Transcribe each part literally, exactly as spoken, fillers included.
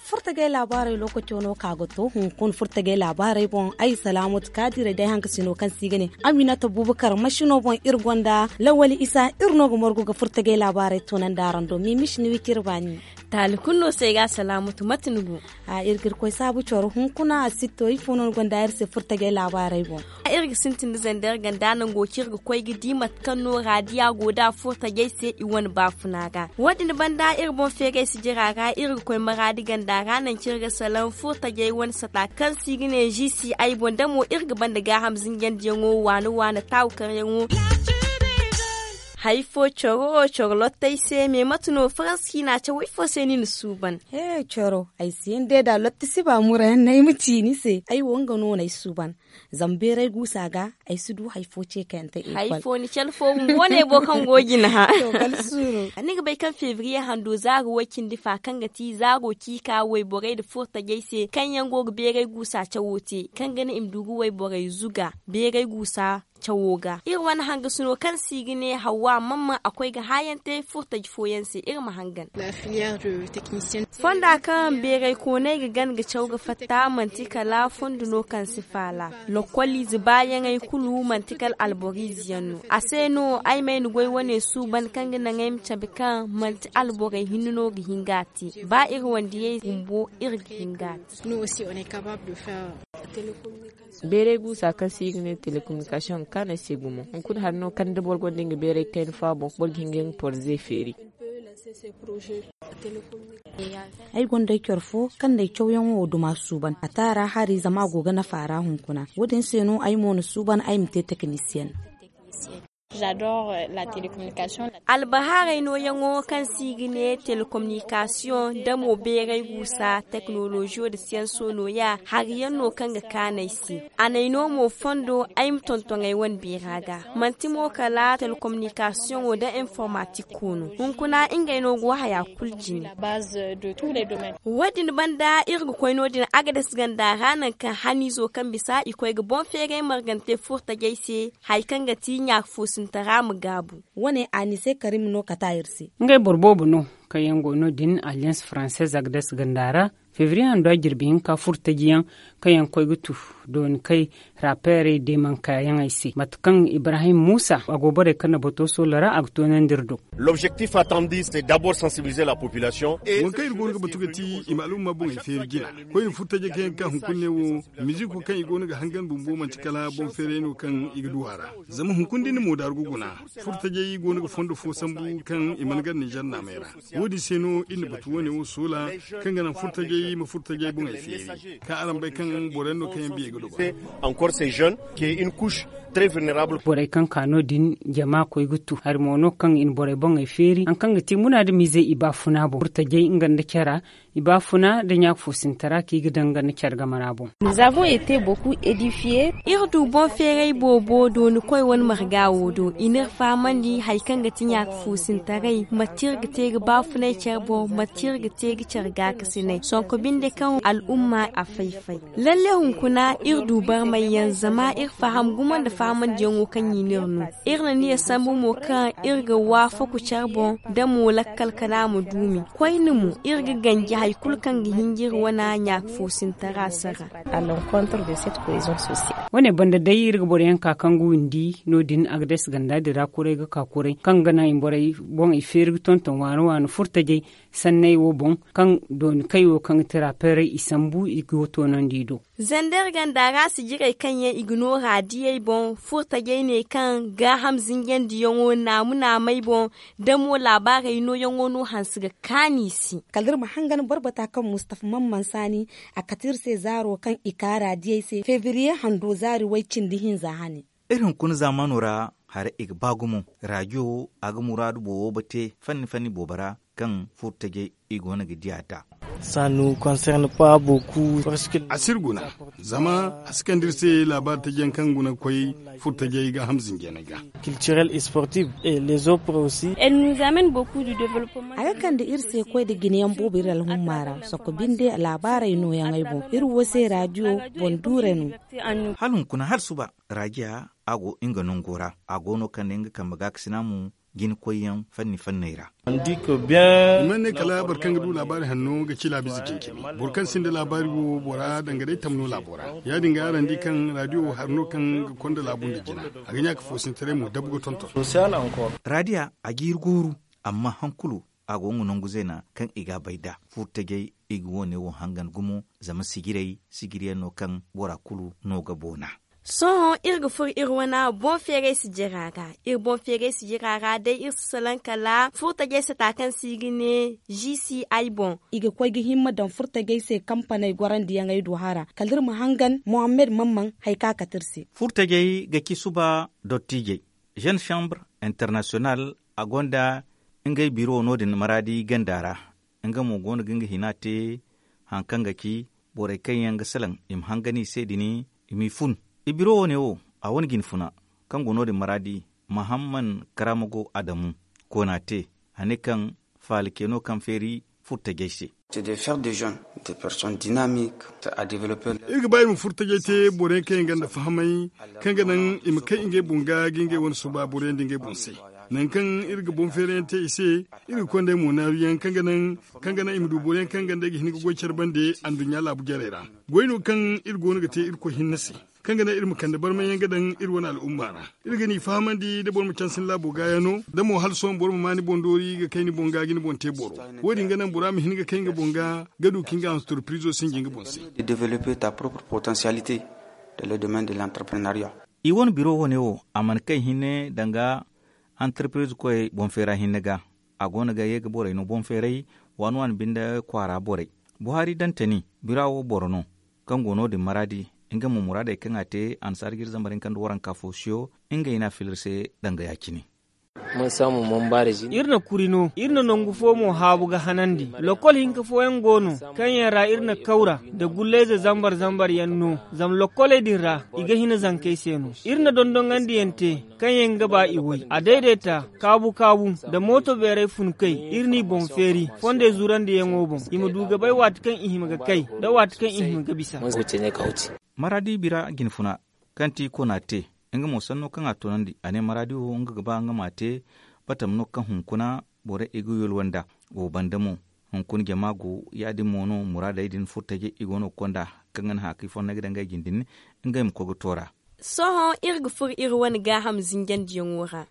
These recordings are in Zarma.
Furtajey laabaarey lookaco no ka ga to hunkuna furtajey laabaarey boŋ. Ay salaamatu kaadirey day hankasino kaŋ se i ga ne aminata bubakar masino boŋ iri gonda lawali isa iri no ga margu ga furtajey laabaarey tunandi araŋ do mimisi ni wiciri baani. Taali kulu no se ay ga a salaamatu mate ni go? A iri ga iri koy saabu coro hunkuna a si to ifo no ni gonda iri se furtajey laabaarey boŋ. Iri ga sintin da zandar ganda nango kaŋ iri ga koy ga di mate kaŋ no raadiya go da furtajey se i wane baafuna ga. Wo- din banda iri boŋ feegay sijira ra iri ga koy maraadi ganda ra nangu kaŋ iri ga salaŋ furtajey wane sata kaŋ se i ga ne zisi ay boŋ da mo iri ga banda gaaham zinjandiyaŋo waane waane taawu karyaŋo. Hari fo coro coro lottey se me mate no faransi ciina cawo ifo se ni na suuban? He coro ay si hin day da lotti si ba murayaŋ no ay ma ci ni se ay wo nga no no ay suuban. Zama beeray guusa ga ay si du hari fo ce kayante hari fo ni cale fo bumbo ne bo kaŋ go jina ha. Ni ga bay kaŋ febriye hando zaaro way cindi fa kaŋ ga ti zaaro ciika wayborey nda furtajey se kaŋ yaŋ go ga beeray guusa cawo te kaŋ ga naŋ i ma du ga wayborey zuga beeray guusa cawo ga iri wane hangasino kaŋ se i ga ne hawwa mamman a koy ga haayante furtaji fooyaŋ se iri ma hangan. Fonda kaŋ beeray koonay ga gan ga caw ga fatta manti kala fondo no kaŋ si faala. Lokoliize baayaŋey kulu manti kala alboriize yaŋ no a se no ay ma ay na goy wane suuban kaŋ ga naŋ ay ma cabe kaŋ manti alborey hinne no ga hin ga a te ba iri wandiyey bumbo iri ga hin ga a te. Beeray guusa kaŋ se i ga ne telekominikasiyoŋ ga kaanu ay se gumo hunkuna hari no kaŋ da boro gonda nga beeray kayna fo a boŋ boro ga hin ga nga porze feeri. Ay gonda ay coro fo kaŋ na ay cawyaŋo wo duma suuban a taara hari zama a go ga nafa a ra hunkuna wo- din se no ay mo na suuban ay ma te tekinisiyen. Albahaarey nooyaŋo kaŋ se i ga ne telekominikasiyoŋ da mo beeray guusa teknoloziyo nda siyanso nooya hari yaŋ no kaŋ ga kaanu ay se. A n'ay no mo fondo ay ma tonton ay wane beera ga manti mo kala telekominikasiyoŋo nda informatik koono hunkuna ngey no go haya kulu jine. Wo- din banda iri ga koy no- din agades ganda ra nangu kaŋ haniizo kaŋ bisa i koy ga boŋ feeray margante furtajey se hari kaŋ ga ti ɲaaka foosintara ma gaabu. Wane anise karim no kata iri se. Ngey boro boobo no kaŋ yaŋ go no- din alliance française agades ganda ra febriye hando a jirbi hinka furtaji yaŋ kaŋ yaŋ koy ga tu dooni kay rapeerey deemankayaŋey se mate kaŋ ibrahim muusa a go borey kaŋ na bato soola ra a ga toonandi iri do. L'objectif attendis c'est d'abord sensibiliser la population. Waŋ kaŋ iri go no ga batu ga ti i ma al'umma boŋey feeri jina koyne furtajey kaŋ yaŋ ga ka hunkuna ne wo. Miziko kaŋ i go no ga hangan bumbo manti kala boŋ feeray no kaŋ i ga du a ra. Zama hunkuna da ni mo daaru ga guna furtajey go no ga fondo fo sambu kaŋ i mana gar ninzeer naamey ra. Wo- din se no iri na batu wane wo soola kaŋ ga naŋ furtajey ma furtajey boŋey feeri kaŋ araŋ bay kaŋ boro yaŋ no kaŋ yaŋ biyey ga duba. Encore ces jeunes qui est une couche très vulnérable. Borey kaŋ ka no- din jama koy ga tu hari mo no kaŋ i na borey boŋey feeri hari kaŋ ga te muna da miizey i baafuna boŋ furtajey nga nda care ra i baafuna nda ɲaaka foosintara kaŋ i ga daŋ nga nda care game ra boŋ. Iri du boŋ feeray boobo dooni koy wane marga wo do i n'iri fahamandi hari kaŋ ga ti ɲaaka foosintaray mate iri ga te ga baafunay care boŋ mate iri ga te ga care gaakasinay sonko binde kaŋ al'umma a fay-fay. Lalle hunkuna iri du barmay yaŋ zama iri faham gumo nda fahamandiyaŋo kaŋ i n'iri no. Iri na niya sambu mo kaŋ iri ga waafaku care boŋ da mo lakkal kana ma duumi koyne mo iri ga ganji hari kulu kaŋ ga hinjiri wane ɲaaka foosintara sara. Wane banda day iri ga boro yaŋ ka kaŋ ga windi no- din agades ganda din ra kuray ga ka kuray kaŋ ga naŋ i borey boŋ i feeri ga tonton waano waano furtajey sanney wo boŋ kaŋ dooni kay wo kaŋ ga ti rapeerey i sambu i go toonandi i do. Zandar ganda ra sijirey kaŋ yaŋ i ga noora diyey boŋ furtajey ne kaŋ gaaham zinjandiyaŋo naamu naamey boŋ da mo laabaarey nooyaŋo no hanse ga kaanu i se. Kala da iri ma hangan boro bata kaŋ mustafa man mansaani a kate iri se zaaro kaŋ i kaara diyey se febriye hando zaari way cindi hinza hane. Iri hunkuna zaamaano ra hara i ga ba gumo raajiyo a ga muraadu boobo bate fanni fanni boobo ra kaŋ furtajey i go no ga diya nd'a. Ça nous concerne pas beaucoup. A si iri guna, zama a si kande iri se laabaari tajiyaŋ kaŋ guna ga koy furo tajey ga hamzinjaney ga. Culturel et sportif et les autres aussi. Elle nous amène beaucoup de développement. A ga kande iri se koy da jinayaŋ boobo iri alhumma ra. Sokko binde laabaarey nooyaŋey boŋ iri wo se raadiyo boŋ duure no. Hala hunkuna hala suba, raadiya a go nga nango ra. A go no kaŋ ne nga kambe gaakasina mo jina koyyaŋ fanni fanney ra. I mana ne kala boro kaŋ ga du laabaari hanno ga ci laabiize cencemi. Boro kaŋ sinda laabaari wo bora danga day tamno laabo ra. Ya- din ga araŋ di kaŋ raadiyo wo hari no kaŋ ga konda laabu nda jina. A ga ɲa ka foosintaray mo dabu ga tonton. Raadiya a ga iri gooru, amma han kulu a go nga nangu zeena kaŋ i ga a bay nd'a. Furo tajey i ga wo- ne wo hangan gumo, zama sijirey sijiriyaŋ no kaŋ bora kulu no ga boona. Sohõ iri ga furo iri wane boŋ feeray sijira ra. Iri boŋ feeray sijira ra day iri si salaŋ kala furo tajey sata kaŋ se i ga ne g c i boŋ. I ga koy ga himma daŋ furo tajey se kampaney gorandiyaŋey do hara kala iri ma hangan mohammed mamman hari kaŋ a kate iri se. Furo tajey ga ci suba dottiijey. Jeune chambre international a gonda ngey biro no- din maraadi ganda ra. Nga mo go no ga nga hina te hari kaŋ ga ci borey kaŋ yaŋ ga salaŋ i ma hangan i se din, i m'i fun. I biro wo- ne wo a wane jinfuna kaŋ go no- din maraadi, mahamman karamago adamu koona te. A ne kaŋ faala ce no kaŋ feeri furo tajey se. Iri ga ba iri ma furo tajey te boro yaŋ kaŋ yaŋ gonda fahamay, kaŋ ga naŋ i ma kay ngey boŋ ga ga ngey wane suba boro yaŋ da ngey boŋ se. Nangu kaŋ iri ga boŋ feerayaŋ te i se, iri ga konda ay mo naaru yaŋ kaŋ ga naŋ i ma du boro yaŋ kaŋ ga naŋ i ga hin ga goy care bande anduɲɲa laabu jarey ra. Goy no kaŋ iri go no ga te irkoy hinne se, kaŋ ga naŋ iri ma kande barmay yaŋ ga daŋ iri wane al'umma ra. Iri ga ni fahamandi da boro ma cansin laabo ga yaŋ no da mo hala sohõ boro ma ma ni boŋ doori ga kay ni boŋ ga ga ni boŋ te boro. Wo- din ga naŋ bora ma hin ga kay nga boŋ ga ga du ka nga antorpirizo sinji nga boŋ se. I wane biro wo- ne wo a mana kay hinne danga antorpiriz koyey boŋ feera hinne ga. A go no ga ye ga borey no boŋ feeray waani waani binde kwaara borey. Buhari dantani bira wo boro no kaŋ go no- din maraadi. Nga mo muraadey kaŋ a te annasaara ga iri zambar hinka nda waranka fo siyo. Ngey no a fila iri se danga ya- cine. Iri na kuri no iri na nangu fo mo haabu ga hanandi. Lokol hinka fooyaŋ go no kaŋ yaŋ ra iri na kawra nda gullayze zambar zambar yaŋ no. Zama lokoley din ra i ga hina zankey se no. Iri na dondonandi yaŋ te kaŋ yaŋ ga ba i way a dayday ta kaabu kaabu nda mooto beeray fun kay. Iri n'i boŋ feeri fondey zurandi yaŋo boŋ i ma du ga bay waati kaŋ i hima ga kay nda waati kaŋ i hima ga bisa. Maraadi bira jinfuna kaŋ ti kona te nga mo sanno kaŋ a toonandi a ne maraadi wo nga ga ba nga m'a te. Batam no kaŋ hunkuna borey i ga yolwa nd'a. Wo banda mo hunkuna jama go ya- din mo no muraadey din furtajey i go no ga konda kaŋ ga naŋ hã kaŋ i fonnay ga daŋ ngey jine din ngey ma koy ga toora. Sohõ iri ga furo iri wane gaaham zinjandiyaŋo ra.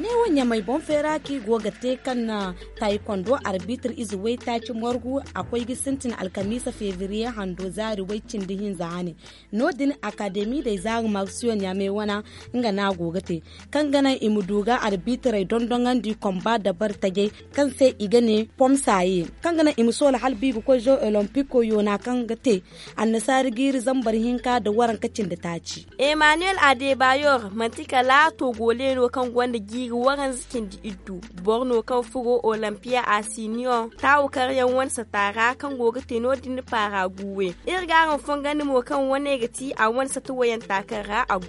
Neewo ɲamay boŋ feera kaŋ i go ga te kaŋ na taykondo arbitre ize waytaaci morgu a koy ga sintin alkamiisa febriye hando zaari way cindi hinza hane. No- din akademi day zaari marsiyo ɲamay wana nga no a go ga te kaŋ ga naŋ i ma du ga arbitrey dondonandi komba dabari tajey kaŋ se i ga ne pomsaye kaŋ ga naŋ i ma soola hala ba i ga koy zo olimpiko yoona kaŋ ga te annasaari jiiri zambar hinka nda waranka cindi taaci. Emmanuel adebayor manti kala togole no kaŋ gonda jiiri waranza cindi iddu. Boro no kaŋ furo olimpiya asiniyoŋ taawu karyaŋ wane sata ra kaŋ go ga te no- din paara guwe. Iri ga araŋ fongandi mo kaŋ wane ga ti a wane sata wayanta kaŋ ra a gu.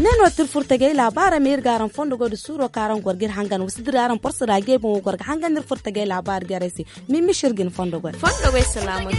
Ne no ti iri furtajey laabaarey ma iri ga araŋ fondo goy nda suuro kaŋ araŋ goro ga iri hangan wa si dira araŋ porso ra jey boŋ wo goro ga hangan iri furtajey laabaari jarey se. Mimisi iri ga ni fondo goy. Fondo goy salaamu.